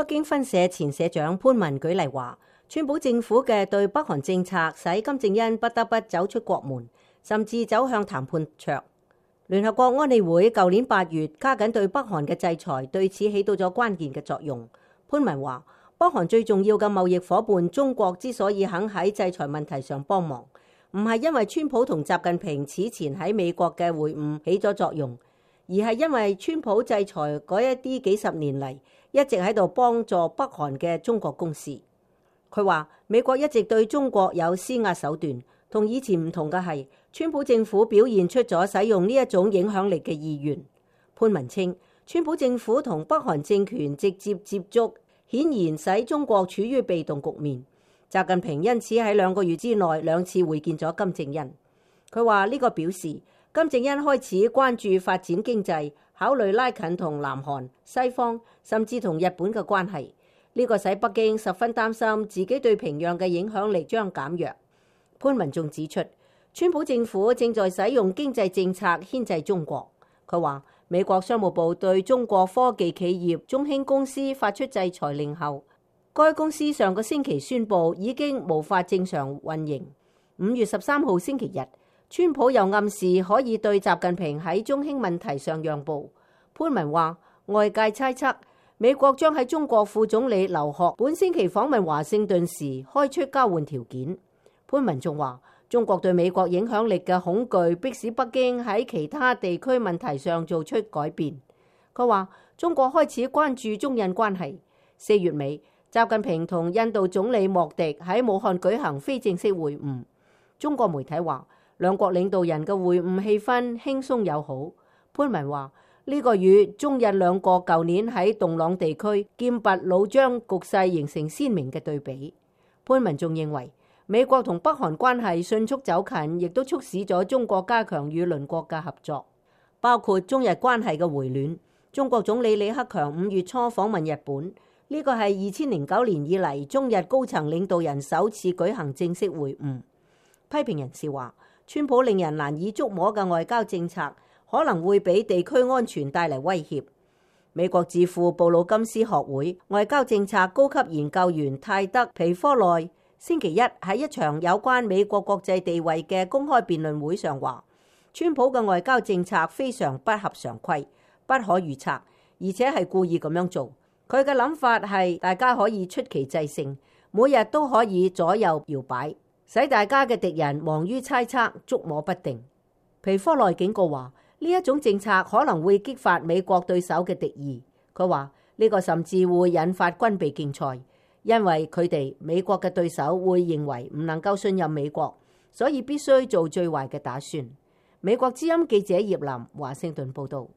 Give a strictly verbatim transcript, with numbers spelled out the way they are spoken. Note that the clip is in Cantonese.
北京分社前社長潘文舉例話，川普政府嘅對北韓政策使金正恩不得不走出國門，甚至走向談判桌。聯合國安理會舊年八月加緊對北韓嘅制裁，對此起到咗關鍵嘅作用。潘文話，北韓最重要嘅貿易夥伴中國之所以肯喺制裁問題上幫忙，唔係因為川普同習近平此前喺美國嘅會晤起咗作用，而係因為川普制裁嗰一啲幾十年嚟一直喺度幫助北韓嘅中國公司。佢話美國一直對中國有施壓手段，同以前唔同嘅係，川普政府表現出咗使用呢一種影響力嘅意願。潘文稱，川普政府同北韓政權直接接觸，顯然使中國處於被動局面。習近平因此喺兩個月之內兩次會見咗金正恩。佢話呢個表示金正恩開始關注發展經濟，考慮拉近同南韓、西方甚至同日本嘅關係。呢個使北京十分擔心自己對平壤嘅影響力將減弱。潘文仲指出，川普政府正在使用經濟政策牽制中國。佢話美國商務部對中國科技企業中興公司發出制裁令後，該公司上個星期宣布已經無法正常運營。五月十三號星期日，川普又暗示可以對習近平喺中興問題上讓步。潘文話，外界猜測美國將喺中國副總理劉鶴本星期訪問華盛頓時開出交換條件。潘文仲話，中國對美國影響力嘅恐懼迫使北京喺其他地區問題上做出改變。佢話中國開始關注中印關係。四月尾，習近平同印度總理莫迪喺武漢舉行非正式會晤。中國媒體話，兩國領導人嘅會晤氣氛輕鬆友好。潘文話，呢個與中印兩國舊年喺洞朗地區劍拔弩張局勢形成鮮明嘅對比。潘文仲認為，美國同北韓關係迅速走近，亦都促使咗中國加強與鄰國嘅合作，包括中日關係嘅回暖。中國總理李克強五月初訪問日本。呢個係二千零九年以嚟中日高層領導人首次舉行正式會晤。批評人士話，川普令人難以捉摸嘅外交政策可能會俾地區安全帶嚟威脅。美國智庫布魯金斯學會外交政策高級研究員泰德皮科內星期一喺一場有關美國國際地位嘅公開辯論會上話，川普嘅外交政策非常不合常規、不可預測，而且係故意咁樣做。佢嘅諗法係大家可以出奇制勝，每日都可以左右搖擺，使大家嘅敵人忙於猜測、捉摸不定。皮科內警告話，呢一種政策可能會激發美國對手嘅敵意。佢話呢個甚至會引發軍備競賽，因為佢哋美國嘅對手會認為唔能夠信任美國，所以必須做最壞嘅打算。美國之音記者葉林華盛頓報道。